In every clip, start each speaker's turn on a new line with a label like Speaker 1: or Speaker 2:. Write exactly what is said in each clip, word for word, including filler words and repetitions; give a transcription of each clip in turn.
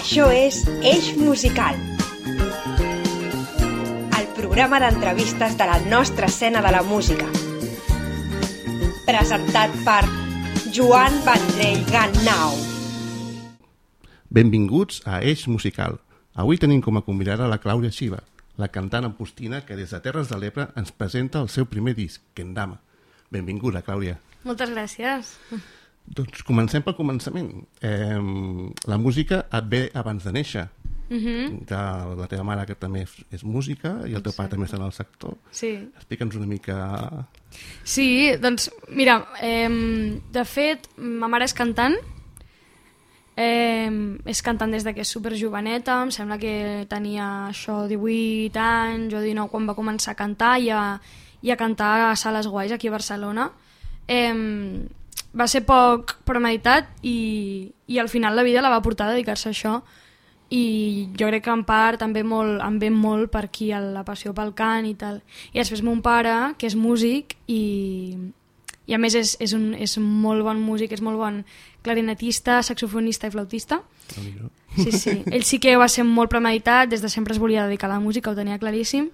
Speaker 1: Això és Eix Musical, el programa d'entrevistes de la nostra escena de la música. Presentat per Joan Vendrell Gannau.
Speaker 2: Benvinguts a Eix Musical. Avui tenim com a convidada la Clàudia Xiva, la cantant ampostina que des de Terres de l'Ebre ens presenta el seu primer disc, Kendama. Benvinguda, Clàudia.
Speaker 3: Moltes gràcies.
Speaker 2: Doncs comencem pel començament. Eh, la música et ve abans de néixer. Uh-huh. De la teva mare, que també és música, i el teu pare també està en el sector.
Speaker 3: Sí.
Speaker 2: Explica'ns una mica...
Speaker 3: Sí, doncs, mira, eh, de fet, ma mare és cantant, eh, és cantant des de que és superjoveneta, em sembla que tenia això divuit anys o dinou quan va començar a cantar i a, i a cantar a sales guais aquí a Barcelona. Eh, va ser poc premeditat i, i al final la vida la va portar a dedicar-se a això, i jo crec que en part també molt, em ve molt per aquí la passió pel cant i tal. I després mon pare, que és músic i, i a més és, és, un, és un molt bon músic, és molt bon clarinetista, saxofonista i flautista. Sí, sí. Ell sí que va ser molt premeditat, des de sempre es volia dedicar a la música, ho tenia claríssim.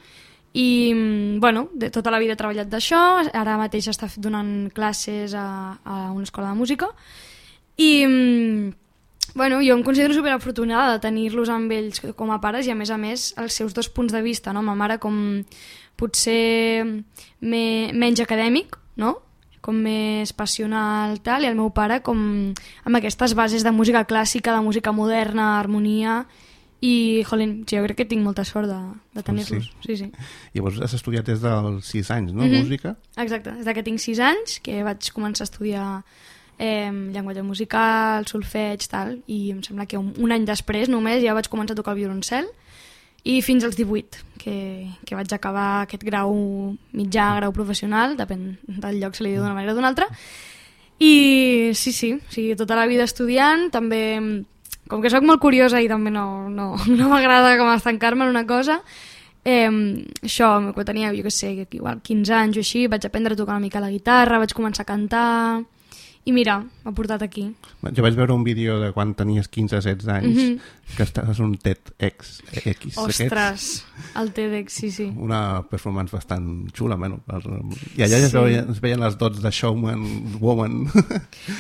Speaker 3: I, bueno, de tota la vida ha treballat d'això, ara mateix està donant classes a, a una escola de música. I, bueno, jo em considero superafortunada de tenir-los amb ells com a pares i, a més a més, els seus dos punts de vista, no? Ma mare com potser me, menys acadèmic, no? Com més passional, tal, i el meu pare com amb aquestes bases de música clàssica, de música moderna, harmonia... I, jolín, jo crec que tinc molta sort de, de tenir-los. Sí. Sí, sí.
Speaker 2: Llavors has estudiat des dels sis anys, no?
Speaker 3: Mm-hmm.
Speaker 2: Música?
Speaker 3: Exacte, des que tinc sis anys, que vaig començar a estudiar eh, llenguatge musical, solfeig, tal, i em sembla que un, un any després només ja vaig començar a tocar el violoncel, i fins als divuit, que, que vaig acabar aquest grau mitjà, grau professional, depèn del lloc, se li diu d'una manera o d'una altra. I sí, sí, o sigui, tota la vida estudiant, també... Com que sóc molt curiosa i també no, no, no m'agrada com estancar-me en una cosa, eh, això, quan tenia, jo què sé, igual quinze anys o així, vaig aprendre a tocar una mica la guitarra, vaig començar a cantar, i mira, m'ha portat aquí.
Speaker 2: Jo vaig veure un vídeo de quan tenies quinze o setze anys, mm-hmm. que estaves un TEDx. X,
Speaker 3: Ostres,
Speaker 2: aquests.
Speaker 3: el TEDx, sí, sí.
Speaker 2: Una performance bastant xula, bueno. I allà sí. es, veien, es veien les dots de showman, woman.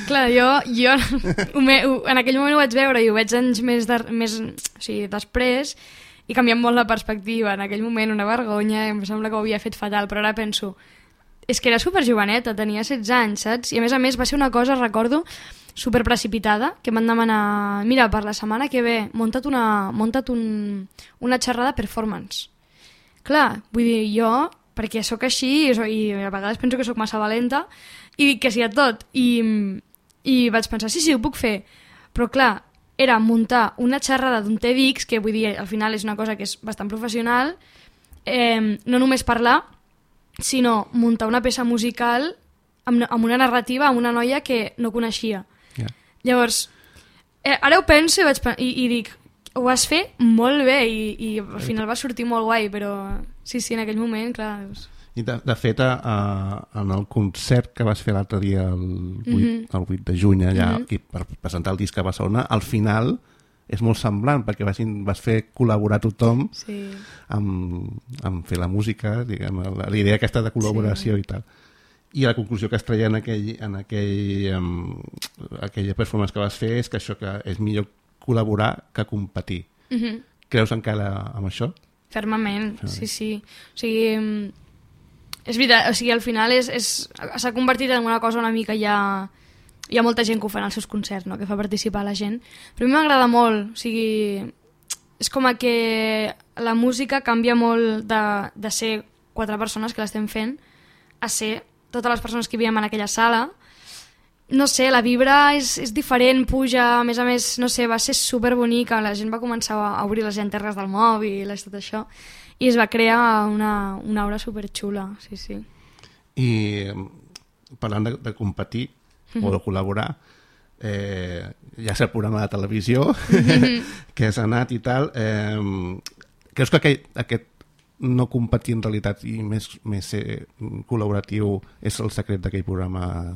Speaker 3: Clar, jo, jo en aquell moment ho vaig veure i ho veig anys més, de, més o sigui, després, i canviant molt la perspectiva. En aquell moment una vergonya, em sembla que ho havia fet fatal, però ara penso... És que era superjoveneta, tenia setze anys, saps? I a més a més va ser una cosa, recordo, superprecipitada, que m'han demanat, mira, per la setmana que ve, munta't una, munta't un, una xerrada performance. Clar, vull dir, jo, perquè sóc així, i a vegades penso que sóc massa valenta, i dic que sí a tot. I, i vaig pensar, sí, sí, ho puc fer. Però clar, era muntar una xerrada d'un TEDx, que vull dir, al final és una cosa que és bastant professional, eh, no només parlar, sinó muntar una peça musical amb, amb una narrativa, amb una noia que no coneixia. Yeah. Llavors, eh, ara ho penso i, vaig, i, i dic, ho vas fer molt bé i, i al final va sortir molt guai, però sí, sí, en aquell moment, clar... Doncs...
Speaker 2: I de, de fet, a, en el concert que vas fer l'altre dia, el vuit, mm-hmm. el vuit de juny, allà, mm-hmm. aquí, per presentar el disc a Barcelona, al final... és molt semblant, perquè vas, vas fer col·laborar tothom sí. amb, amb fer la música, diguem, la, la idea aquesta de col·laboració sí. i tal. I la conclusió que es treia en, aquell, en aquell, um, aquella performance que vas fer és que això que és millor col·laborar que competir. Mm-hmm. Creus encara amb això?
Speaker 3: Fermament, Fermament. sí, sí. O sigui, és veritat, o sigui, al final és, és, s'ha convertit en una cosa una mica ja... Hi ha molta gent que ho fa en els seus concerts, no? Que fa participar la gent. Però a mi m'agrada molt, o sigui... És com que la música canvia molt de, de ser quatre persones que l'estem fent a ser totes les persones que vivim en aquella sala. No sé, la vibra és, és diferent, puja, a més a més, no sé, va ser superbonica, la gent va començar a obrir les llanternes del mòbil i tot això, i es va crear una, una aura superxula, sí, sí.
Speaker 2: I parlant de, de competir, o de col·laborar, eh, ja és el programa de televisió que has anat i tal, eh, creus que aquest, aquest no competir en realitat i més, més ser col·laboratiu és el secret d'aquell programa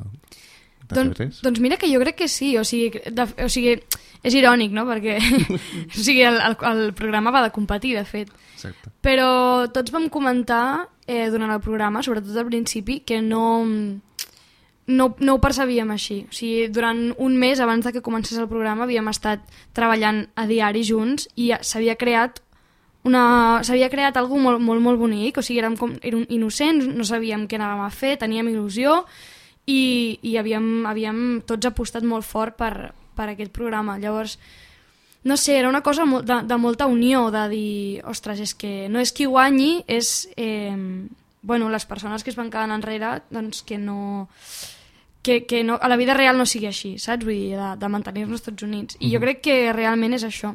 Speaker 2: de
Speaker 3: Don,
Speaker 2: T V tres?
Speaker 3: Doncs mira que jo crec que sí, o sigui, de, o sigui és irònic, no? Perquè o sigui, el, el, el programa va de competir, de fet.
Speaker 2: Exacte.
Speaker 3: Però tots vam comentar eh, durant el programa, sobretot al principi, que no, no, no ho percebíem així. O sigui, durant un mes abans de que comencés el programa havíem estat treballant a diari junts i s'havia creat una... s'havia creat alguna molt, molt, molt bonic, o sigui, érem, com, érem innocents, no sabíem què anàvem a fer, teníem il·lusió i, i havíem, havíem tots apostat molt fort per, per aquest programa. Llavors, no sé, era una cosa de, de molta unió, de dir, ostres, és que no és qui guanyi, és eh, bueno, les persones que es van quedant enrere, doncs que no... Que, que no, a la vida real no sigui així, saps? Vull dir, de, de mantenir-nos tots units. I jo crec que realment és això.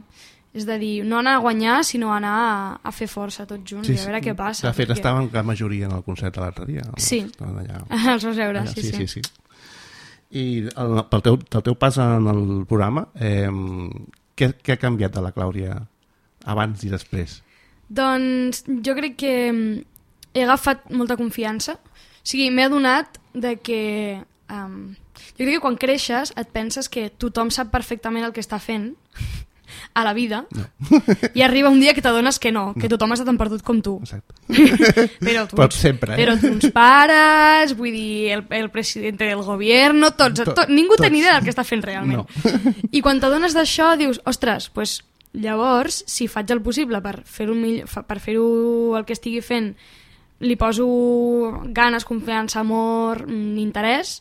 Speaker 3: És de dir, no anar a guanyar, sinó anar a, a fer força tots junts, sí, i a veure sí. què passa.
Speaker 2: De fet,
Speaker 3: perquè...
Speaker 2: estaven la majoria en el concert de l'altre dia.
Speaker 3: Sí,
Speaker 2: allà,
Speaker 3: els vas veure,
Speaker 2: allà,
Speaker 3: sí,
Speaker 2: sí,
Speaker 3: sí.
Speaker 2: sí, sí. I el, pel, teu, pel teu pas en el programa, eh, què, què ha canviat de la Clàudia abans i després?
Speaker 3: Doncs jo crec que he agafat molta confiança. O sigui, m'he adonat de que... Um, jo crec que quan creixes et penses que tothom sap perfectament el que està fent a la vida, no. I arriba un dia que t'adones que no, que no. Tothom està tan perdut com tu. Però tu,
Speaker 2: però sempre, eh?
Speaker 3: Però uns pares, vull dir, el, el president del govern, tots, tot, tot, ningú té ni idea del que està fent realment. No. I quan t'adones d'això dius, ostres, pues, llavors, si faig el possible per fer-ho per fer-ho el que estigui fent, li poso ganes, confiança, amor, interès,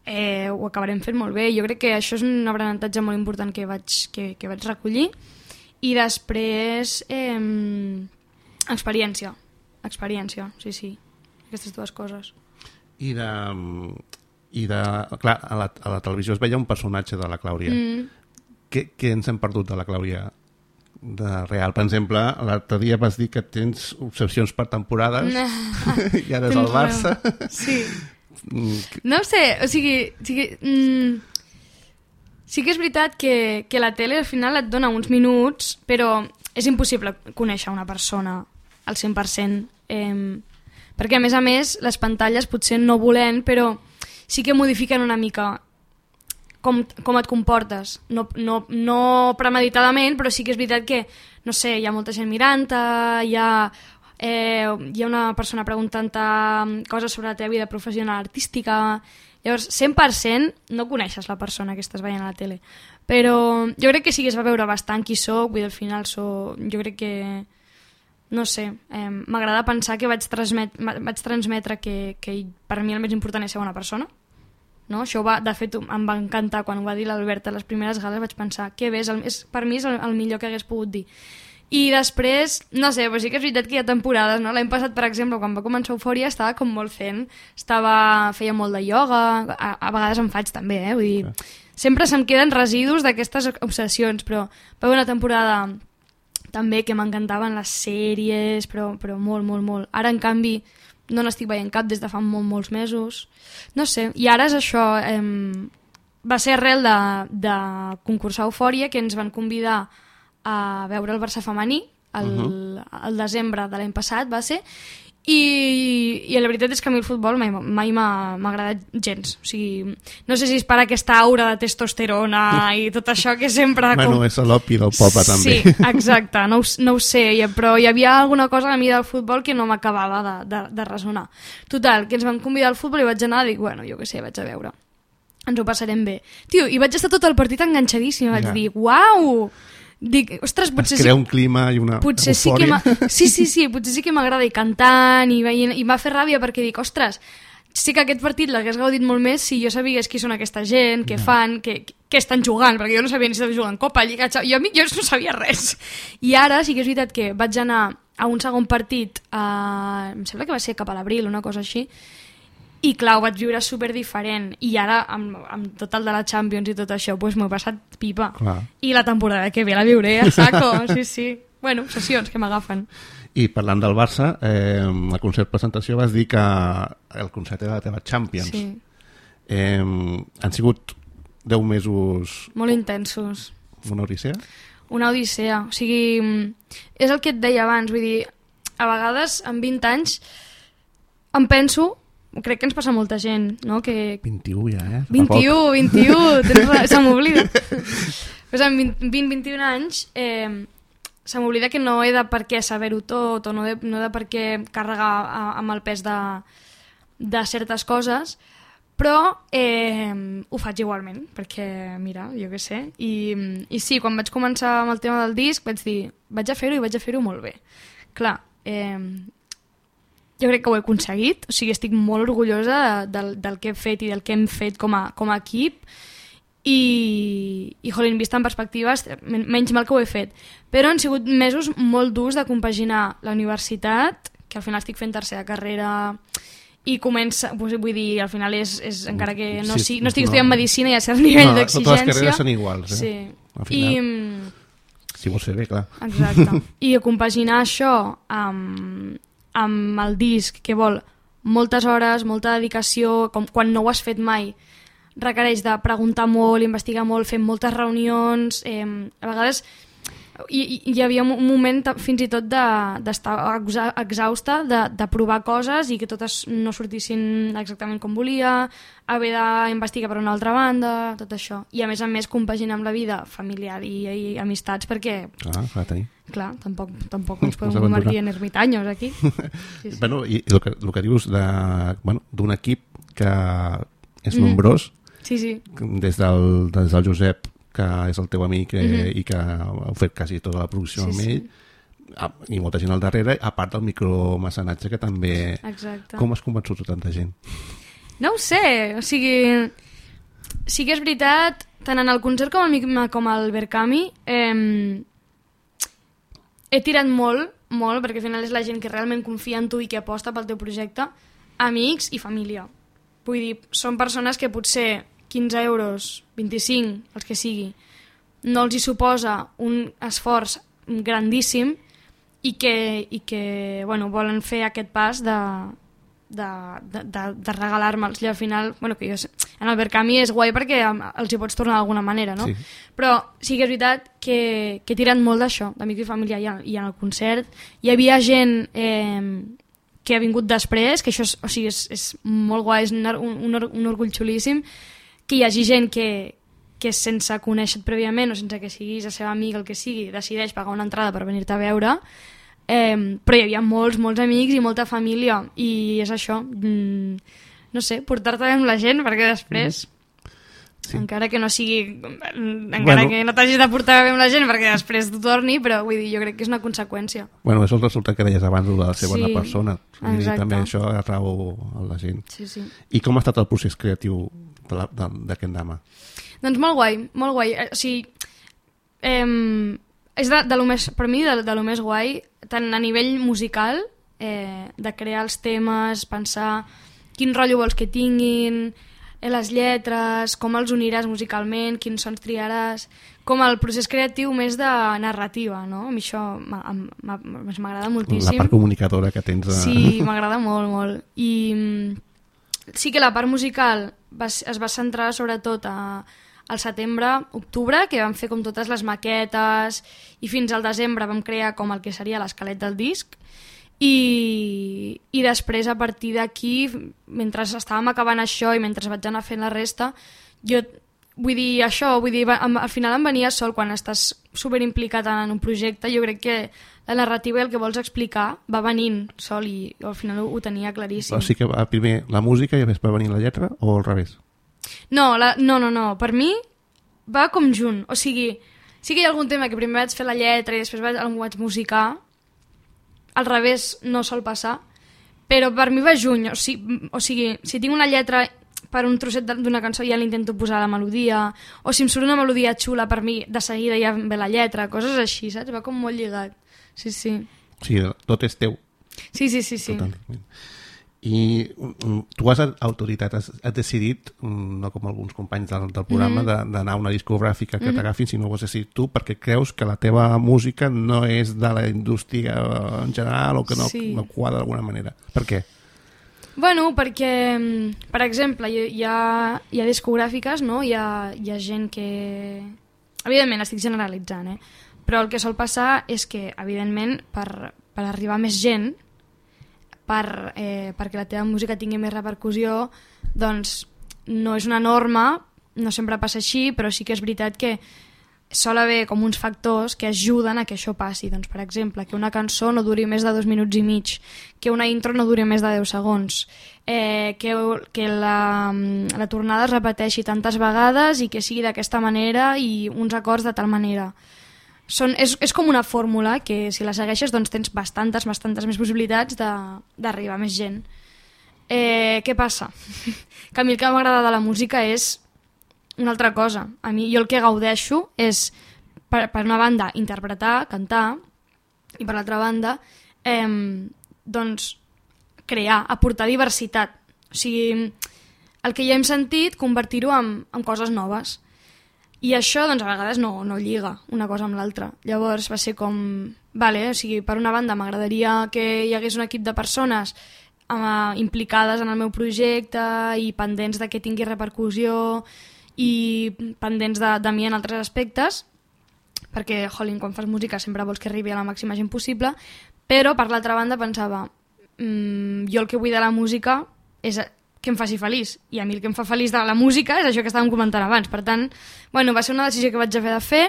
Speaker 3: eh, ho acabarem fent molt bé. Jo crec que això és un aprenentatge molt important que vaig, que, que vaig recollir. I després eh, experiència experiència, sí, sí, aquestes dues coses.
Speaker 2: I de, i de clar, a la, a la televisió es veia un personatge de la Clàudia. mm. què, què ens hem perdut de la Clàudia de real? Per exemple, l'altre dia vas dir que tens obsessions per temporades i ara és el Barça.
Speaker 3: Sí. No sé, o sigui, o sigui mm, sí que és veritat que, que la tele al final et dona uns minuts, però és impossible conèixer una persona al cent per cent, eh, perquè a més a més les pantalles potser no volent, però sí que modifiquen una mica com, com et comportes, no, no, no premeditadament, però sí que és veritat que, no sé, hi ha molta gent mirant-te, hi ha... Eh, hi ha una persona preguntant-te coses sobre la teva vida professional artística. Llavors, cent per cent no coneixes la persona que estàs veient a la tele, però jo crec que sí que es va veure bastant qui soc, vull dir, al final soc, jo crec que no sé, eh, m'agrada pensar que vaig, transmet, vaig transmetre que, que per mi el més important és ser bona persona, no? Això va, de fet em va encantar quan ho va dir l'Alberta a les primeres gales, vaig pensar que bé, és el, és, per mi és el, el millor que hagués pogut dir. I després, no sé, però sí que és veritat que hi ha temporades, no? L'any passat, per exemple, quan va començar Eufòria, estava com molt fent, estava, feia molt de ioga, a, a vegades en faig també, eh? Vull dir, sempre se'm queden residus d'aquestes obsessions, però va haver una temporada també que m'encantaven les sèries, però, però molt, molt, molt. Ara, en canvi, no n'estic veient cap des de fa molt, molts mesos. No sé, i ara és això, eh, va ser arrel de, de concursar Eufòria, que ens van convidar a veure el Barça femení el, uh-huh. el desembre de l'any passat va ser, i, i la veritat és que a mi el futbol mai, mai m'ha agradat gens, o sigui, no sé si és per aquesta aura de testosterona i tot això que sempre...
Speaker 2: Bueno, com... és l'opi del poble també.
Speaker 3: Sí, exacte, no ho, no ho sé, però hi havia alguna cosa a mi del futbol que no m'acabava de, de, de resonar. Total, que ens van convidar al futbol i vaig anar i dic, bueno, jo què sé, vaig a veure, ens ho passarem bé. Tio, i vaig estar tot el partit enganxadíssim, vaig ja. dir, uau! Dic, ostres, potser
Speaker 2: es crea
Speaker 3: sí,
Speaker 2: un clima i una
Speaker 3: potser
Speaker 2: eufòria.
Speaker 3: Sí, que sí, sí, sí, potser sí que m'agrada ir cantant i, veient, i m'ha fet ràbia perquè dic, ostres, sí que aquest partit l'hagués gaudit molt més si jo sabigués qui són aquesta gent, què no. fan, què, què estan jugant, perquè jo no sabia ni si estaven jugant Copa, Lliga, jo, jo no sabia res. I ara sí que és veritat que vaig anar a un segon partit, a, em sembla que va ser cap a l'abril, una cosa així, i clar, ho vaig viure super diferent, i ara amb, amb tot el de la Champions i tot això pues, m'ho he passat pipa, clar. I la temporada que ve la viuré a saco, sí, sí, bueno, obsessions que m'agafen.
Speaker 2: I parlant del Barça, eh, al concert presentació vas dir que el concert era la teva Champions.
Speaker 3: Sí.
Speaker 2: Eh, han sigut deu mesos
Speaker 3: molt intensos,
Speaker 2: una odissea?
Speaker 3: Una odissea, o sigui, és el que et deia abans, vull dir, a vegades amb vint anys em penso crec que ens passa molta gent, no? Que...
Speaker 2: vint-i-u ja, eh?
Speaker 3: vint-i-u, vint-i-u, se m'oblida. Pues amb vint vint-i-un anys eh, se m'oblida que no he de per què saber-ho tot o no he de, no he de per què carregar amb el pes de, de certes coses, però eh, ho faig igualment, perquè, mira, jo què sé. I, I sí, quan vaig començar amb el tema del disc vaig dir, vaig a fer-ho i vaig a fer-ho molt bé. Clar, eh, jo crec que ho he aconseguit, o sigui, estic molt orgullosa de, del, del que he fet i del que hem fet com a, com a equip i, i jolín, vista en perspectives, menys mal que ho he fet. Però han sigut mesos molt durs de compaginar la universitat, que al final estic fent tercera carrera i comença, vull dir, al final és, és encara que no, sí, si, no estic no. estudiant medicina i a cert nivell no, d'exigència.
Speaker 2: Totes les carreres són iguals, eh?
Speaker 3: Sí.
Speaker 2: Al final, I, si vols fer bé, clar.
Speaker 3: Exacte. I compaginar això amb amb el disc, que vol moltes hores, molta dedicació, com quan no ho has fet mai, requereix de preguntar molt, investigar molt, fer moltes reunions, eh, a vegades hi, hi havia un moment fins i tot d'estar de, exhausta, de, de provar coses i que totes no sortissin exactament com volia, haver d'investigar per una altra banda, tot això. I a més a més compaginar amb la vida familiar i, i amistats perquè...
Speaker 2: Ah, clar, tenir.
Speaker 3: Clar, tampoc, tampoc ens podem convertir en ermitaños aquí. Sí, sí.
Speaker 2: Bueno, i el que, el que dius d'un bueno, equip que és mm. nombrós,
Speaker 3: sí, sí.
Speaker 2: Des, del, des del Josep, que és el teu amic eh, mm-hmm. i que heu fet quasi tota la producció sí, amb ell, sí. I molta gent al darrere, a part del micromecenatge que també...
Speaker 3: Exacte.
Speaker 2: Com has convençut tanta gent?
Speaker 3: No ho sé, o sigui... Sí que és veritat, tant en el concert com al, com al Berkami, eh, he tirat molt, molt, perquè al final és la gent que realment confia en tu i que aposta pel teu projecte, amics i família. Vull dir, són persones que potser quinze euros, vint-i-cinc, els que sigui, no els hi suposa un esforç grandíssim i que, i que bueno, volen fer aquest pas de, de, de, de, de regalar-me'ls. I al final, bueno, que jo, en el Berkami és guai perquè els hi pots tornar d'alguna manera, no? Sí. Però sí que és veritat que, que he tirat molt d'això, d'amics i família, i, i en el concert hi havia gent... Eh, que ha vingut després, que això és, o sigui, és, és molt guai, és un, un, un orgull xulíssim, que hi hagi gent que, que sense conèixer-te prèviament o sense que siguis la seva amiga, el que sigui, decideix pagar una entrada per venir-te a veure, eh, però hi havia molts, molts amics i molta família, i és això, mm, no sé, portar-te bé amb la gent, perquè després... Mm. Sí. Encara que no sigui encara bueno, que no t'hagis de portar bé amb la gent perquè després t'ho torni, però vull dir, jo crec que és una conseqüència. Bueno,
Speaker 2: és el resultat que deies abans de ser sí, bona persona. Vull dir, també això atrau a la gent.
Speaker 3: Sí, sí.
Speaker 2: I com ha estat el procés creatiu d'aquest Dama?
Speaker 3: Doncs molt guai, molt guai. O sigui, eh, és de, de lo més, per mi de, de lo més guai, tant a nivell musical, eh, de crear els temes, pensar quin rotllo vols que tinguin, les lletres, com els uniràs musicalment, quins sons triaràs, com el procés creatiu més de narrativa, no? A mi això m'agrada moltíssim.
Speaker 2: La part comunicadora que tens. A...
Speaker 3: Sí, m'agrada molt, molt. I sí que la part musical va, es va centrar sobretot a, al setembre, octubre, que vam fer com totes les maquetes, i fins al desembre vam crear com el que seria l'esquelet del disc. I, i després a partir d'aquí, mentre estàvem acabant això i mentre vaig anar fent la resta, jo vull dir això, vull dir, al final em venia sol quan estàs superimplicat en un projecte. Jo crec que la narrativa i el que vols explicar va venint sol i al final ho, ho tenia claríssim.
Speaker 2: O sigui que primer la música i després va venir la lletra o al revés?
Speaker 3: No, la, no, no, no, per mi va com junt, o sigui, sí que hi ha algun tema que primer vaig fer la lletra i després vaig, el vaig musicar. Al revés no sol passar, però per mi va juny, o sigui, o sigui si tinc una lletra per un trosset d'una cançó ja l'intento posar la melodia, o si em surt una melodia xula per mi, de seguida ja ve la lletra, coses així, saps? Va com molt lligat. Sí, sí.
Speaker 2: Sí, tot és teu.
Speaker 3: Sí, sí, sí, sí.
Speaker 2: Totalment. I tu has autoritat, has, has decidit, no com alguns companys del, del programa, mm-hmm. d'anar a una discogràfica que mm-hmm. t'agafin, sinó que ho has decidit tu perquè creus que la teva música no és de la indústria en general o que no, sí. no quadra d'alguna manera. Per què?
Speaker 3: Bueno, perquè, per exemple, hi ha, hi ha discogràfiques, no? Hi ha, hi ha gent que... Evidentment, estic generalitzant, eh? Però el que sol passar és que, evidentment, per, per arribar a més gent, per, eh, perquè la teva música tingui més repercussió, doncs no és una norma, no sempre passa així, però sí que és veritat que sol haver com uns factors que ajuden a que això passi. Doncs, per exemple, que una cançó no duri més de dos minuts i mig, que una intro no duri més de deu segons, eh, que, que la, la tornada es repeteixi tantes vegades i que sigui d'aquesta manera i uns acords de tal manera. Són, és, és com una fórmula que si la segueixes doncs tens bastantes, bastantes més possibilitats d'arribar a més gent. Eh, què passa? Que a mi el que m'agrada de la música és una altra cosa. A mi, jo el que gaudeixo és, per, per una banda, interpretar, cantar, i per l'altra banda, eh, doncs, crear, aportar diversitat. O sigui, el que ja hem sentit, convertir-ho en, en coses noves. I això, doncs, a vegades no, no lliga una cosa amb l'altra. Llavors va ser com... Vale, o sigui, per una banda m'agradaria que hi hagués un equip de persones eh, implicades en el meu projecte i pendents de que tingui repercussió i pendents de, de mi en altres aspectes, perquè, jolín, quan fas música sempre vols que arribi a la màxima gent possible, però per l'altra banda pensava mmm, jo el que vull de la música és que em faci feliç, i a mi el que em fa feliç de la música és això que estàvem comentant abans. Per tant, bueno, va ser una decisió que vaig haver de fer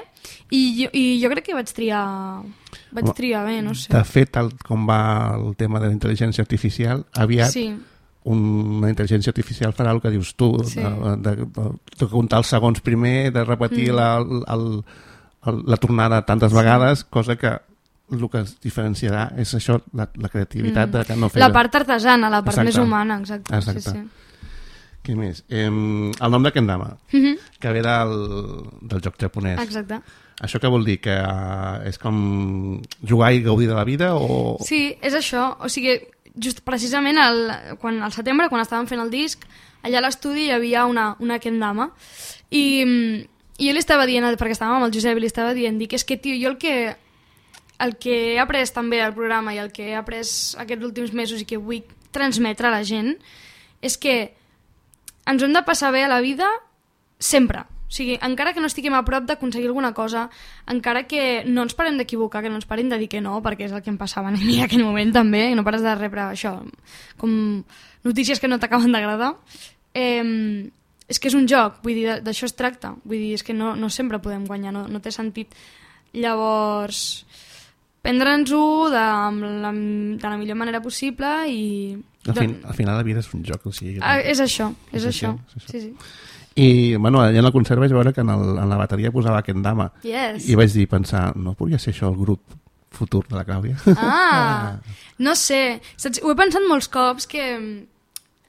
Speaker 3: i jo, i jo crec que vaig triar vaig Home, triar bé, no sé.
Speaker 2: De fet, tal com va el tema de la intel·ligència artificial, aviat sí. una intel·ligència artificial farà el que dius tu, sí. de, de, de, de comptar els segons primer, de repetir mm. la, el, el, la tornada tantes sí. vegades, cosa que el que es diferenciarà és això, la, la creativitat mm. de que no fer...
Speaker 3: La part artesana, la part exacte. Més humana, exacte.
Speaker 2: exacte.
Speaker 3: Sí, sí.
Speaker 2: Què més? Eh, el nom de Kendama, mm -hmm. que ve del, del joc japonès.
Speaker 3: Exacte.
Speaker 2: Això què vol dir? Que uh, és com jugar i gaudir de la vida? O...
Speaker 3: Sí, és això. O sigui, just precisament al, quan, al setembre, quan estàvem fent el disc, allà a l'estudi hi havia una, una Kendama i, i jo li estava dient, perquè estàvem amb el Josep i li estava dient, dic, és que tio, jo el que... el que he après també al programa i el que he après aquests últims mesos i que vull transmetre a la gent és que ens hem de passar bé a la vida sempre. O sigui, encara que no estiguem a prop d'aconseguir alguna cosa, encara que no ens parem d'equivocar, que no ens parem de dir que no, perquè és el que em passava a mi en aquell moment també, i no pares de rebre això, com notícies que no t'acaben d'agradar, eh, és que és un joc, vull dir, d'això es tracta. Vull dir, és que no, no sempre podem guanyar, no, no té sentit. Llavors... prendre'ns-ho de, la, de la millor manera possible i...
Speaker 2: Al, fin, al final la vida és un joc, o sigui...
Speaker 3: Ah, és això, és, és això. això. Sí, sí.
Speaker 2: I, bueno, allà en el concert vaig veure que en, el, en la bateria posava Kendama.
Speaker 3: Yes.
Speaker 2: I vaig dir, pensar, no podria ser això el grup futur de la Clàudia?
Speaker 3: Ah, no sé. Saps? Ho he pensat molts cops que...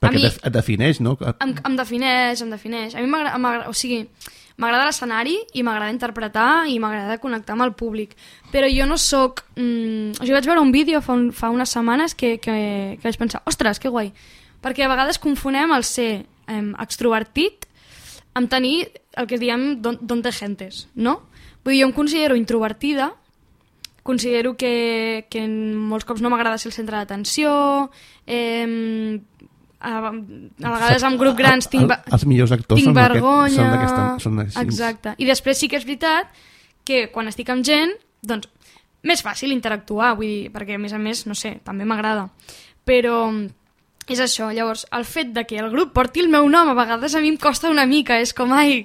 Speaker 2: Perquè
Speaker 3: mi,
Speaker 2: et defineix, no?
Speaker 3: Em, em defineix, em defineix. A mi m'agrada, o sigui... M'agrada l'escenari i m'agrada interpretar i m'agrada connectar amb el públic. Però jo no soc... Mm, o sigui, vaig veure un vídeo fa, un, fa unes setmanes que, que, que vaig pensar, ostres, que guai. Perquè a vegades confonem el ser eh, extrovertit amb tenir el que diem don, don de gentes, no? Vull dir, jo em considero introvertida, considero que, que molts cops no m'agrada ser el centre d'atenció, eh, a, a vegades en grup grans tinc, el,
Speaker 2: els millors actors
Speaker 3: tinc
Speaker 2: són
Speaker 3: vergonya
Speaker 2: aquest, són són
Speaker 3: exacte, i després sí que és veritat que quan estic amb gent doncs més fàcil interactuar, vull dir, perquè a més a més, no sé, també m'agrada, però és això. Llavors el fet de que el grup porti el meu nom a vegades a mi em costa una mica, és com ai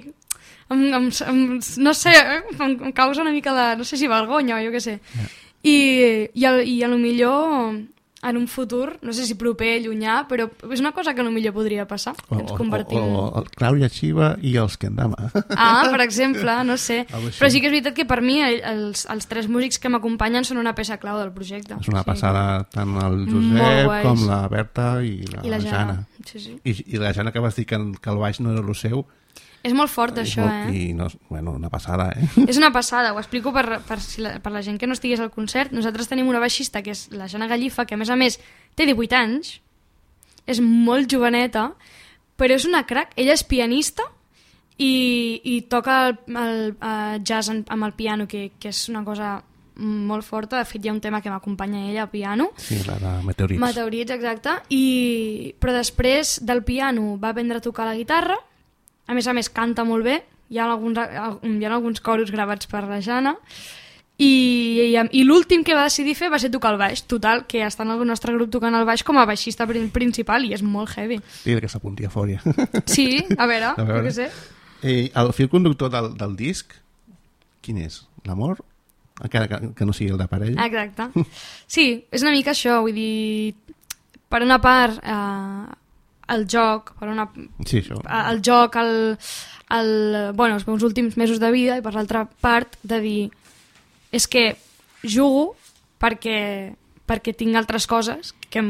Speaker 3: em, em, em, no sé, em, em causa una mica de, no sé si vergonya o jo què sé, yeah. i, i, a, i a lo millor en un futur, no sé si proper, llunyà, però és una cosa que potser podria passar, que ens convertim...
Speaker 2: O, o, o Clàudia Xiva i els Kendama.
Speaker 3: Ah, per exemple, no sé. Però sí que és veritat que per mi els, els tres músics que m'acompanyen són una peça clau del projecte.
Speaker 2: És una
Speaker 3: sí.
Speaker 2: passada tant el Josep com la Berta i la,
Speaker 3: I la Jana.
Speaker 2: Jana.
Speaker 3: Sí, sí.
Speaker 2: I, I la Jana que vas dir que, que el baix no era el seu.
Speaker 3: És molt fort, això, molt,
Speaker 2: eh? I no, bueno, una passada, eh?
Speaker 3: És una passada, ho explico per, per, si la, per la gent que no estigués al concert. Nosaltres tenim una baixista, que és la Jana Gallifa, que a més a més té divuit anys, és molt joveneta, però és una crac. Ella és pianista i, i toca el, el, el jazz amb el piano, que, que és una cosa molt forta. De fet, hi ha un tema que m'acompanya ella a piano.
Speaker 2: Sí, la de Meteorits.
Speaker 3: Meteorits, exacte. I, però després del piano va aprendre a tocar la guitarra. A més a més, canta molt bé. Hi ha alguns, hi ha alguns coros gravats per la Jana. i, i, i l'últim que va decidir fer va ser tocar el baix. Total, que està en el nostre grup tocant el baix com a baixista principal i és molt heavy.
Speaker 2: Dile que s'apunti a fòria.
Speaker 3: Sí, a veure, a veure. Què sé.
Speaker 2: Eh, el fil conductor del, del disc, quin és? L'amor? Encara que, que no sigui el de parella.
Speaker 3: Exacte. Sí, és una mica això, vull dir, per una part eh, el joc, per una...
Speaker 2: Sí, això.
Speaker 3: El joc, el, el, bueno, els meus últims mesos de vida, i per l'altra part de dir és que jugo perquè, perquè tinc altres coses que em,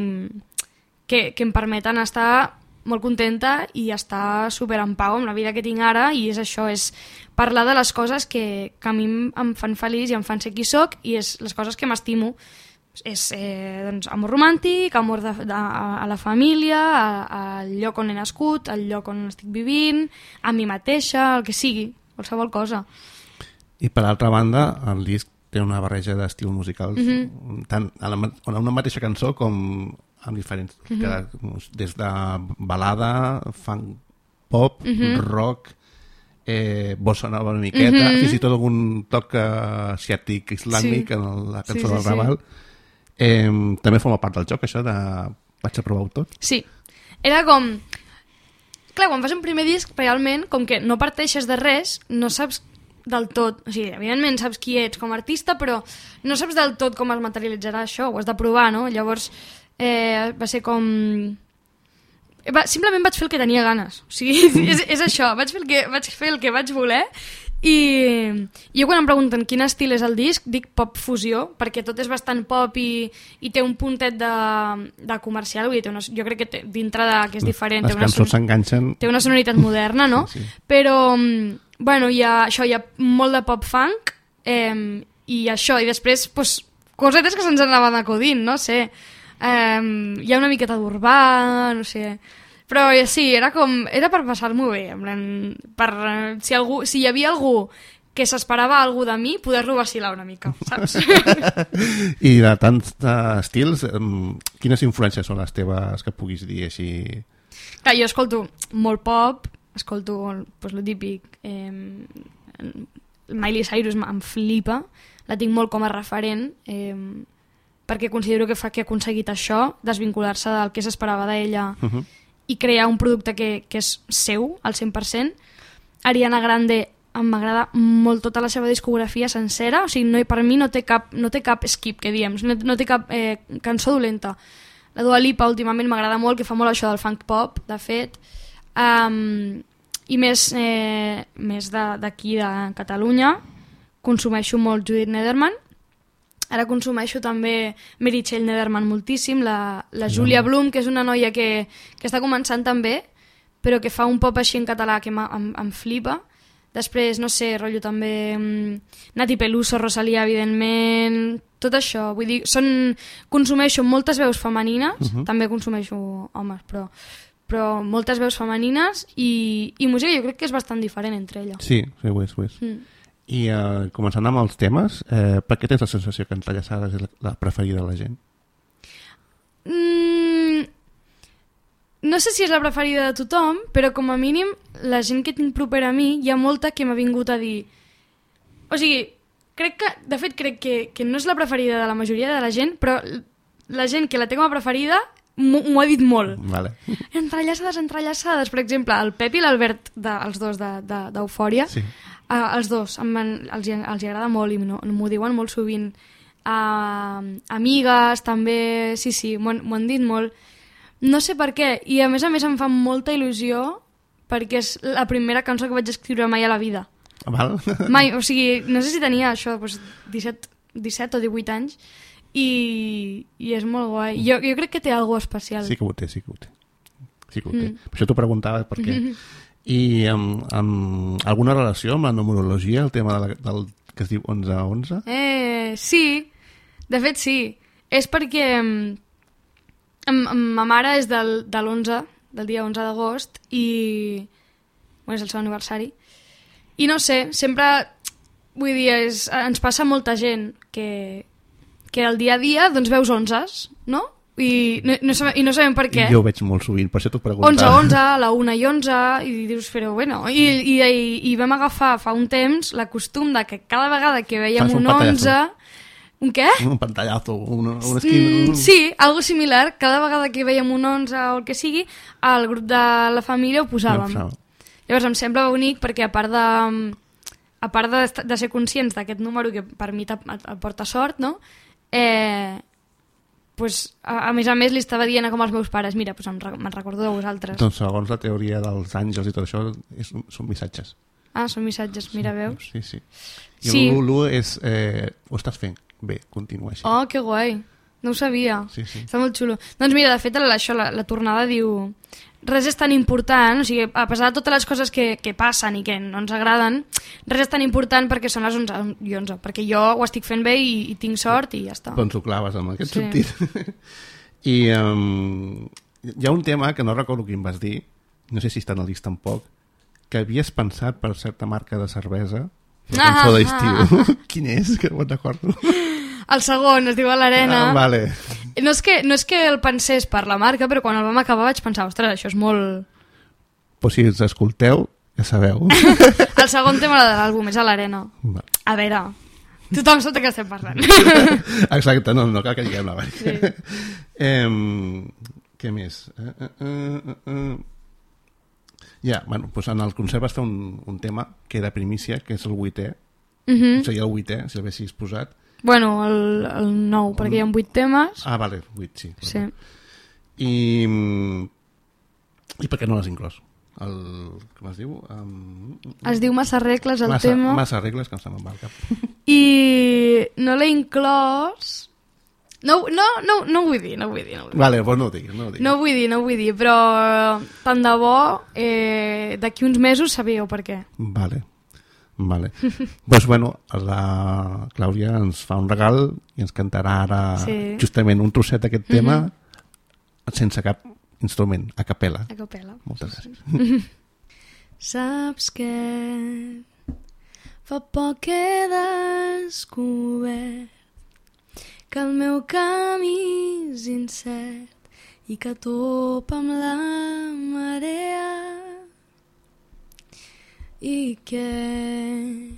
Speaker 3: que, que em permeten estar molt contenta i estar super en pau amb la vida que tinc ara, i és això, és parlar de les coses que, que a mi em fan feliç i em fan ser qui soc, i és les coses que m'estimo. És eh, doncs, amor romàntic, amor de, de, a, a la família, a, al lloc on he nascut, al lloc on estic vivint, a mi mateixa, el que sigui, qualsevol cosa. I
Speaker 2: per altra banda, el disc té una barreja d'estils musicals, mm-hmm. tant a, la, a una mateixa cançó com amb diferents, mm-hmm. que, des de balada, funk, pop, mm-hmm. rock, eh, bossa nova una miqueta, mm-hmm. fins i tot algun toc asiàtic islàmic sí. en la cançó sí, sí, del Raval. Sí. Eh, també forma part del joc, això de vaig a provar-ho tot?
Speaker 3: Sí, era com... Clar, quan fas un primer disc, realment, com que no parteixes de res, no saps del tot, o sigui, evidentment saps qui ets com a artista, però no saps del tot com es materialitzarà això, ho has de provar, no? Llavors eh, va ser com... Va, simplement vaig fer el que tenia ganes, o sigui, és, és això, vaig fer, el que, vaig fer el que vaig voler, i jo quan em pregunten quin estil és el disc, dic pop fusió, perquè tot és bastant pop i, i té un puntet de, de comercial, vull dir, té una, jo crec que té, dintre de que és diferent,
Speaker 2: les
Speaker 3: té una,
Speaker 2: cançons s'enganxen,
Speaker 3: té una sonoritat moderna, no? Sí, sí. Però bueno, hi ha, això, hi ha molt de pop-funk eh, i això, i després pues, cosetes que se'ns anaven acudint, no sé, eh, hi ha una miqueta d'urbà, no sé, però sí, era com, era per passar-m'ho bé, en plan, per, si, algú, si hi havia algú que s'esperava algú de mi, poder-lo vacilar una mica, saps?
Speaker 2: I de tants estils, quines influències són les teves que puguis dir així?
Speaker 3: Clar, jo escolto molt pop, escolto pues, lo típic, eh, Miley Cyrus em flipa, la tinc molt com a referent, eh, perquè considero que fa que ha aconseguit això, desvincular-se del que s'esperava d'ella uh-huh. i crear un producte que, que és seu, al cent per cent. Ariana Grande m'agrada molt tota la seva discografia sencera, o sigui, no, per mi no té cap, no té cap skip, que diem, no, no té cap eh, cançó dolenta. La Dua Lipa últimament m'agrada molt, que fa molt això del funk pop, de fet, Um, i més, eh, més d'aquí de, de Catalunya consumeixo molt Judith Nederman, ara consumeixo també Meritxell Nederman moltíssim, la, la Júlia Blum, que és una noia que, que està començant també, però que fa un pop així en català que em, em flipa. Després, no sé, rotllo també um, Nati Peluso, Rosalía, evidentment, tot això, vull dir, són, consumeixo moltes veus femenines, uh-huh. també consumeixo homes, però però moltes veus femenines i, i música jo crec que és bastant diferent entre elles.
Speaker 2: Sí, sí, ho és, ho és. Mm. I uh, començant amb els temes, eh, per què tens la sensació que Entrellaçades és la, la preferida de la gent?
Speaker 3: Mm, no sé si és la preferida de tothom, però com a mínim la gent que tinc propera a mi hi ha molta que m'ha vingut a dir... O sigui, crec que, de fet crec que, que no és la preferida de la majoria de la gent, però la gent que la té com a preferida m'ho ha dit molt.
Speaker 2: Vale.
Speaker 3: Entrellaçades, entrellaçades. Per exemple, el Pep i l'Albert, de, els dos d'Eufòria, de, de, sí. uh, els dos, em van, els, els agrada molt i no, m'ho diuen molt sovint. Uh, amigues, també, sí, sí, m'ho han dit molt. No sé per què, i a més a més em fa molta il·lusió perquè és la primera cançó que vaig escriure mai a la vida.
Speaker 2: Val.
Speaker 3: Mai, o sigui, no sé si tenia això, doncs, disset, disset o divuit anys, I, i és molt guai. Jo, jo crec que té alguna especial.
Speaker 2: Sí que ho té, sí que ho té. Sí que ho té. Mm. Per això t'ho preguntava, per què. Mm-hmm. I amb, amb alguna relació amb la numerologia, el tema de la, del que es diu onze onze?
Speaker 3: Eh, sí, de fet sí. És perquè amb, amb ma mare és del, de l'onze, del dia onze d'agost, i bueno, és el seu aniversari. I no sé, sempre, vull dir, és, ens passa molta gent que... que el dia a dia doncs veus onzes, no? I no, no sabem, i no sabem per què.
Speaker 2: Jo ho veig molt sovint, per això t'ho preguntava.
Speaker 3: onze, onze, a la una i onze, i dius, però bueno... I, i, i, i vam agafar fa un temps la costum de que cada vegada que veiem un, un onze... Un què?
Speaker 2: Un pantallazo, un, un esquí...
Speaker 3: Mm, sí, algo similar. Cada vegada que veiem un onze o el que sigui, al grup de la família ho posàvem. No, llavors em sembla bonic perquè a part de... A part de, de ser conscients d'aquest número que per mi porta sort, no? Eh... Pues, a, a més a més li estava dient com als meus pares, mira, pues em, me'n recordo de vosaltres.
Speaker 2: Doncs segons la teoria dels àngels i tot això és, són missatges.
Speaker 3: Ah, són missatges, mira, veus?
Speaker 2: Sí, sí. I
Speaker 3: sí.
Speaker 2: l'u és, eh, ho estàs fent bé, continua així.
Speaker 3: Oh, que guai, no ho sabia.
Speaker 2: Sí, sí.
Speaker 3: Està molt xulo. Doncs mira, de fet, això, la, la tornada diu... Res és tan important, o sigui, a pesar de totes les coses que, que passen i que no ens agraden, res és tan important perquè són les onze i onze, perquè jo ho estic fent bé i, i tinc sort i ja està.
Speaker 2: Doncs ho claves en aquest
Speaker 3: sí.
Speaker 2: sentit. I um, hi ha un tema que no recordo quin vas dir, no sé si està en el disc tampoc, que havies pensat per certa marca de cervesa, la cançó ah, d'estiu. Ah. Quin és? Que no me'n recordo.
Speaker 3: El segon, es diu A l'Arena.
Speaker 2: Ah, vale.
Speaker 3: No és, que, no és que el pensés per la marca, però quan el vam acabar vaig pensar, ostres, això és molt...
Speaker 2: Pues si ens escolteu, ja sabeu.
Speaker 3: El segon tema de l'àlbum és A l'Arena.
Speaker 2: Va.
Speaker 3: A veure, tothom sap de què estem parlant.
Speaker 2: Exacte, no, no cal que diguem la marca.
Speaker 3: Sí.
Speaker 2: eh, què més? Uh, uh, uh, uh. Ja, bueno, pues en el concert vas fer un, un tema que era primícia, que és el vuitè. Uh -huh. O sigui, el vuitè, si el haguessis posat.
Speaker 3: Bueno, el, el nou, el... perquè hi ha vuit temes.
Speaker 2: Ah, vale, vuit, sí.
Speaker 3: Sí.
Speaker 2: I, i per què no l'has inclòs? El, com es diu? Um...
Speaker 3: Es diu Massa regles, el
Speaker 2: massa,
Speaker 3: tema.
Speaker 2: Massa regles, que em se'n va al cap.
Speaker 3: I no l'he inclòs... No, no, no, no ho vull dir, no ho vull dir. No ho vull dir.
Speaker 2: Vale, doncs no ho diguis, no ho diguis.
Speaker 3: No ho vull dir, no ho vull dir, però tant de bo, eh, d'aquí uns mesos sabíeu per què.
Speaker 2: Vale. Vale. Doncs bueno, la Clàudia ens fa un regal i ens cantarà ara sí. justament un trosset d'aquest tema mm-hmm. sense cap instrument, a capella.
Speaker 3: A capella.
Speaker 2: Moltes gràcies.
Speaker 3: Saps què? Fa poc que he descobert que el meu camí és incert i que topa amb la marea i que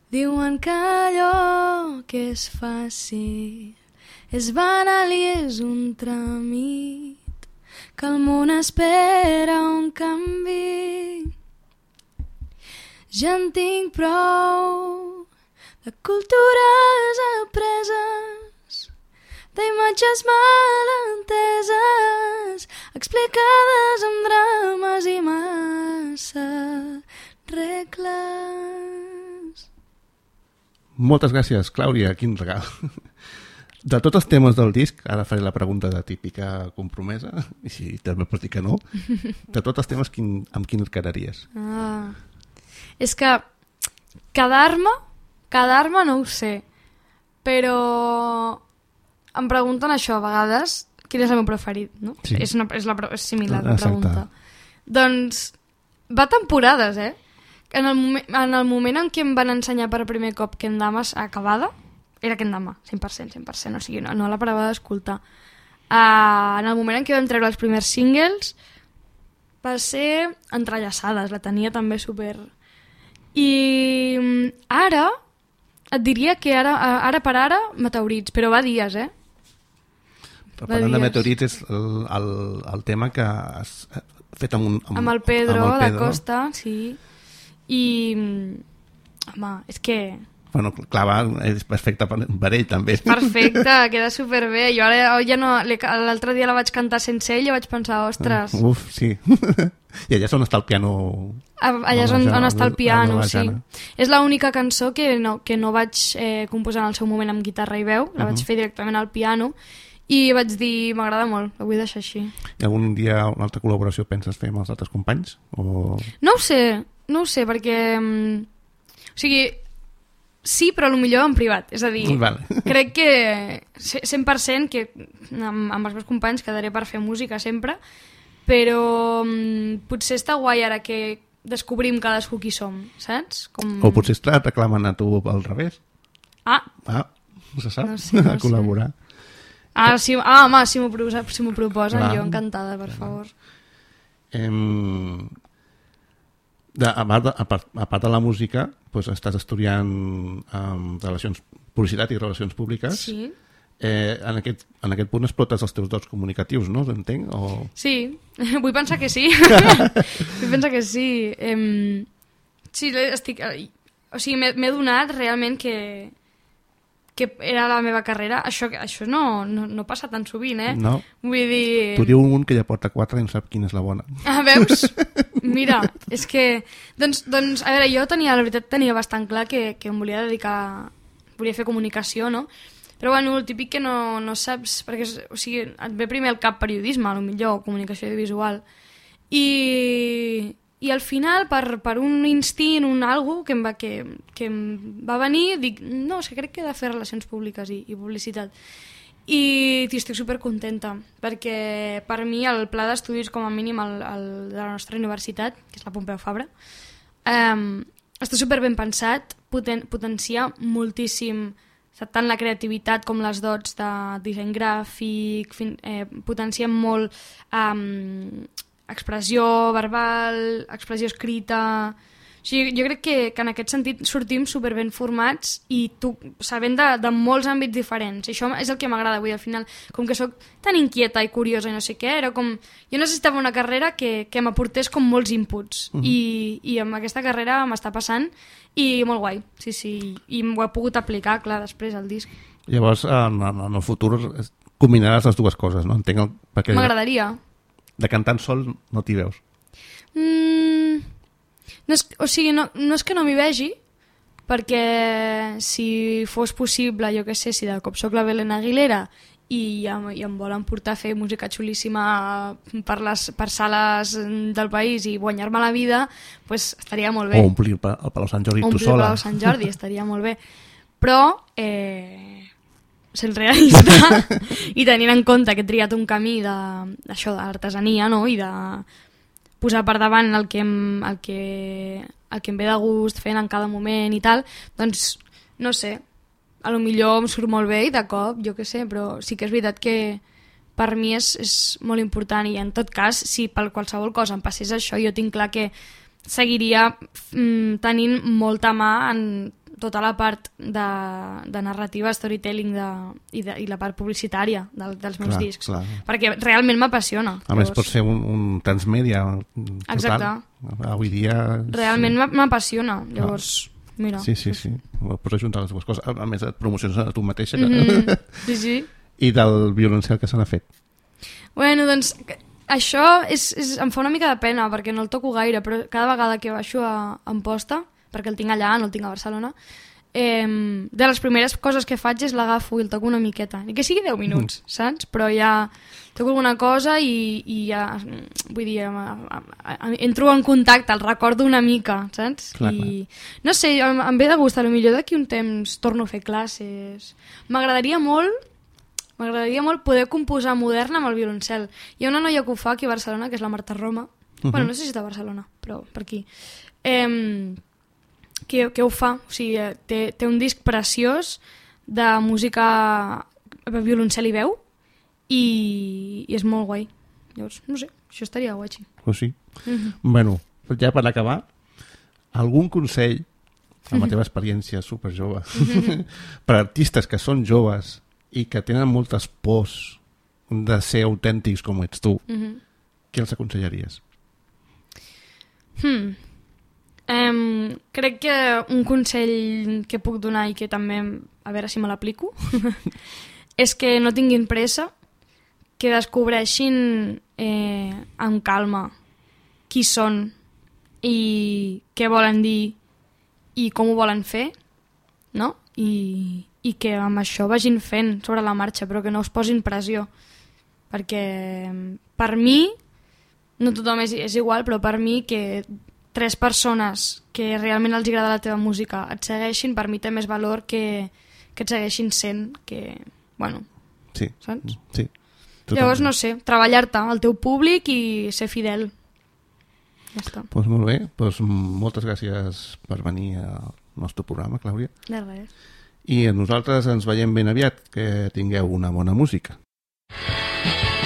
Speaker 3: diuen que allò que és fàcil és banal i és un tràmit, que el món espera un canvi. Ja en tinc prou de cultures apreses, d'imatges mal enteses, explicades amb drames i massa regles.
Speaker 2: Moltes gràcies, Clàudia, quin regal. De tots els temes del disc, ara faré la pregunta de típica compromesa, i si també pots dir que no, de tots els temes, quin, amb quin et quedaries?
Speaker 3: Ah, és que quedar-me, quedar-me no ho sé, però em pregunten això a vegades, quin és el meu preferit, no?
Speaker 2: Sí.
Speaker 3: És, una, és, la, és similar la
Speaker 2: Exacte.
Speaker 3: pregunta. Doncs va temporades, eh? En el, moment, en el moment en què em van ensenyar per primer cop Kendamas acabada, era Kendama, cent per cent, cent per cent, o sigui, no, no la parava d'escoltar. Uh, en el moment en què vam treure els primers singles va ser Entrellaçades, la tenia també super... I ara, et diria que ara, ara per ara, Meteorits, però va dies, eh?
Speaker 2: Però parlant de Meteorits és el, el, el tema que has fet amb un...
Speaker 3: Amb, amb el Pedro,
Speaker 2: amb el Pedro.
Speaker 3: da Costa, sí. I, home, és que...
Speaker 2: Bueno, clar, va, és perfecte per, per ell, també.
Speaker 3: Perfecte, queda superbé. Jo ara ja no... L'altre dia la vaig cantar sense ell i vaig pensar, ostres...
Speaker 2: Uh, uf, sí. I allà és on està el piano...
Speaker 3: Allà és on, on està el piano, sí. És l'única cançó que no, que no vaig eh, composar en el seu moment amb guitarra i veu, la uh -huh. vaig fer directament al piano, i vaig dir, m'agrada molt, la vull deixar així.
Speaker 2: I algun dia una altra col·laboració penses fer amb els altres companys? O...
Speaker 3: No ho sé, no ho sé, perquè... O sigui, sí, però potser en privat. És a dir,
Speaker 2: vale.
Speaker 3: crec que cent per cent que amb, amb els meus companys quedaré per fer música sempre, però um, potser està guai ara que descobrim cadascú qui som, saps? Com...
Speaker 2: O potser et reclamen a tu al revés.
Speaker 3: Ah!
Speaker 2: Ah, no se sap,
Speaker 3: no sé, no
Speaker 2: a col·laborar.
Speaker 3: Sé. Ah, si, ah home, si m'ho si proposen,
Speaker 2: Clar.
Speaker 3: jo encantada, per favor.
Speaker 2: Em... De, a, part de, a, part, a part de la música, doncs estàs estudiant um, relacions, publicitat i relacions públiques.
Speaker 3: Sí.
Speaker 2: Eh, en, aquest, en aquest punt explotes els teus dots comunicatius, no? Entenc? O...
Speaker 3: Sí, vull pensar que sí. Vull pensar que sí. Em... Sí, estic... O sigui, m'he donat realment que... que era la meva carrera. Això, això no, no, no passa tan sovint, eh?
Speaker 2: No.
Speaker 3: Vull dir...
Speaker 2: Tu diu un que ja porta quatre i no sap quina és la bona.
Speaker 3: Ah, veus? Mira, és que... Doncs, doncs, a veure, jo tenia, la veritat, tenia bastant clar que, que em volia dedicar... Volia fer comunicació, no? Però bueno, el típic que no, no saps, perquè o sigui, et ve primer al cap periodisme, a lo millor, comunicació audiovisual, i, i al final, per, per un instint, un algo que em va, que, que em va venir, dic, no, és que crec que he de fer relacions públiques i, i publicitat. I estic supercontenta, perquè per mi el pla d'estudis, com a mínim el, el de la nostra universitat, que és la Pompeu Fabra, eh, està super ben pensat, poten, potencia moltíssim tant la creativitat com les dots de disseny gràfic, fin, eh, potencien molt um, expressió verbal, expressió escrita... O sigui, jo crec que, que en aquest sentit sortim super ben formats i tu, sabent de, de molts àmbits diferents. I això és el que m'agrada avui al final. Com que sóc tan inquieta i curiosa i no sé què, era com... Jo necessitava una carrera que, que m'aportés com molts inputs. Uh-huh. I, I amb aquesta carrera m'està passant i molt guai. Sí, sí. I ho he pogut aplicar, clar, després al disc.
Speaker 2: Llavors, en, en el futur combinaràs les dues coses, no? Entenc el... perquè
Speaker 3: m'agradaria.
Speaker 2: De cantant sol no t'hi veus.
Speaker 3: Mm... No és, o sigui, no, no és que no m'hi vegi, perquè si fos possible, jo què sé, si de cop soc la Belén Aguilera i, em, i em volen portar a fer música xulíssima per, les, per sales del país i guanyar-me la vida, pues estaria molt bé.
Speaker 2: O omplir el, el Palau Sant Jordi tu sola.
Speaker 3: Omplir el Palau Sant Jordi, estaria molt bé. Però, eh, sent realista i tenint en compte que he triat un camí de, això de l'artesania, no?, i de posar per davant el que, em, el, que, el que em ve de gust fent en cada moment i tal, doncs no sé, a lo millor em surt molt bé i de cop, jo què sé, però sí que és veritat que per mi és, és molt important i en tot cas, si per qualsevol cosa em passés això, jo tinc clar que seguiria mm, tenint molta mà en tota la part de, de narrativa, storytelling de, i, de, i la part publicitària de, dels meus clar, discs. Clar. Perquè realment m'apassiona.
Speaker 2: A llavors... més, pots fer un, un transmèdia total.
Speaker 3: Exacte.
Speaker 2: Avui dia...
Speaker 3: Realment sí. M'apassiona. Llavors, ah. mira.
Speaker 2: Sí, sí, sí. Pots ajuntar les dues coses. A més, et promocions a tu mateixa. Que...
Speaker 3: Mm-hmm. Sí, sí.
Speaker 2: I del violoncel que se n'ha fet?
Speaker 3: Bueno, doncs... Això és, és, em fa una mica de pena perquè no el toco gaire, però cada vegada que baixo a Amposta, perquè el tinc allà, no el tinc a Barcelona, eh, de les primeres coses que faig és l'agafo i el toco una miqueta. Ni que sigui deu minuts, mm. saps? Però ja toco alguna cosa i, i ja, vull dir, entro en contacte, el recordo una mica, saps?
Speaker 2: Clar,
Speaker 3: I
Speaker 2: clar.
Speaker 3: no sé, em, em ve de gust, potser d'aquí un temps torno a fer classes. M'agradaria molt M'agradaria molt poder composar moderna amb el violoncel. Hi ha una noia que ho fa aquí a Barcelona, que és la Marta Roma. Uh-huh. Bueno, no sé si està a Barcelona, però per aquí. Eh, que, que ho fa. O sigui, té, té un disc preciós de música violoncel i veu i, i és molt guai. Llavors, no sé, això estaria guai.
Speaker 2: Pues sí.
Speaker 3: Uh-huh.
Speaker 2: Bueno, ja per acabar, algun consell, amb la teva experiència superjove, uh-huh. per artistes que són joves i que tenen moltes pors de ser autèntics com ets tu, uh-huh. què els aconsellaries?
Speaker 3: Hmm. Um, crec que un consell que puc donar i que també, a veure si me l'aplico, és que no tinguin pressa, que descobreixin eh, amb calma qui són i què volen dir i com ho volen fer, no? I, i que amb això vagin fent sobre la marxa, però que no us posin pressió, perquè per mi, no tothom és, és igual, però per mi que tres persones que realment els agrada la teva música et segueixin, per mi té més valor que, que et segueixin sent, que, bueno,
Speaker 2: sí,
Speaker 3: saps?
Speaker 2: Sí. Totalment.
Speaker 3: Llavors, no sé, treballar-te al teu públic i ser fidel. Ja està.
Speaker 2: Pues molt bé, pues moltes gràcies per venir al nostre programa, Clàudia.
Speaker 3: De res.
Speaker 2: I nosaltres ens veiem ben aviat. Que tingueu una bona música.
Speaker 4: Música